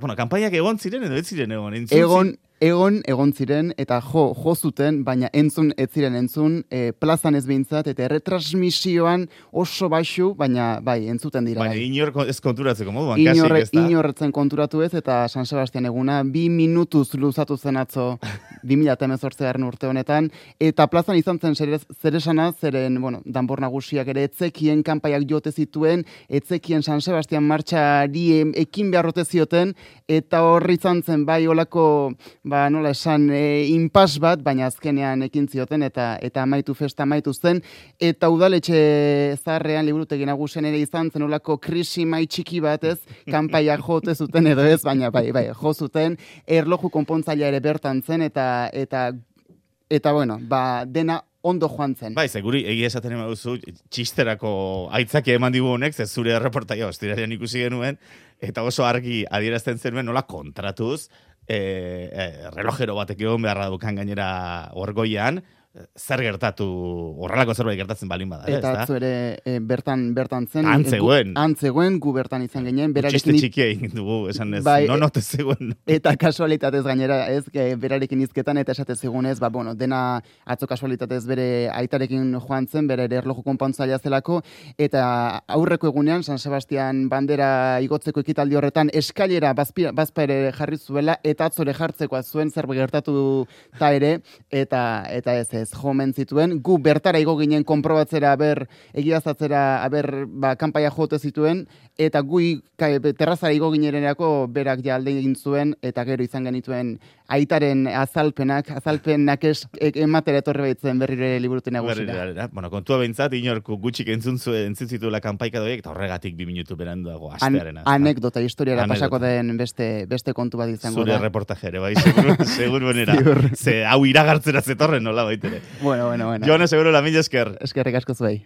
bueno, kanpaiak egon ziren edo ez ziren egon? Egon ziren, eta jo zuten, baina ez ziren entzun, plazan ez behintzat, eta erretransmisioan oso baxu, baina bai, entzuten dira. Baina inor ez konturatzeko moduan, kasik ez da? Inorretzen konturatu ez, eta San Sebastian eguna 2 minutuz luzatu zen atzo 2018 urte honetan, eta plazan izan zen zeresana, zeren, bueno, danbor nagusiak ere etzekien kanpaiak jote zituen, etzekien San Sebastian martxari ekin beharrote zioten, eta horri izan zen bai olako nola esan, inpas bat, baina azkenean ekin zioten, eta festa amaitu zen, eta udaletxe zaharrean liburutegi nagusian ere izan zen olako krisi mai txiki bat, ez, kanpaiak jote zuten edo ez, baina bai, jo zuten, erloju konpontzailea ere bertan zen, eta bueno, dena ondo joan zen. Bai, seguri, egia esaten ema duzu, txisterako aitzakia eman digu honek, ze zure erreportaia ostiralean ikusi genuen, eta oso argi adierazten zenuen nola kontratuz, relojero batek egon beharra dukan gainera orgoian, zer gertatu, horrelako zerbait gertatzen balin bada. Eta atzo ere bertan zen. Antzegoen. Gu bertan izan ginen. Txiste txikia egin dugu, esan ez, note zegoen. Eta kasualitatez gainera, ez, berarekin izketan, eta esate zegoen ez, dena atzo kasualitatez bere aitarekin joan zen, bere erloju konpontzailea zelako, eta aurreko egunean, San Sebastian bandera igotzeko ekitaldi horretan, eskailera bazpa ere jarri zuela, eta atzore jartzeko zuen zerbait gertatu ta ere, eta ez jomen zituen, gu bertara igo ginen konprobatzera, egiazatzera, kanpaia jote zituen, eta gu terrazara igo ginenerako berak ja alde egin zuen, eta gero izan genituen aitaren azalpenak ematera etorri baitzen berrire liburuten agusira. Bueno, kontua behintzat, inorku gutxik entzun zituela kanpaika doiek, eta horregatik 2 minutu beranduago astearena. Anekdota, historiara pasako den beste kontu bat izango da. Zure reportajere, bai, seguru benera. Ze hau iragartzera zetorren nola baitere. Bueno. Jone, seguro la mila esker. Eskerrik asko zuei.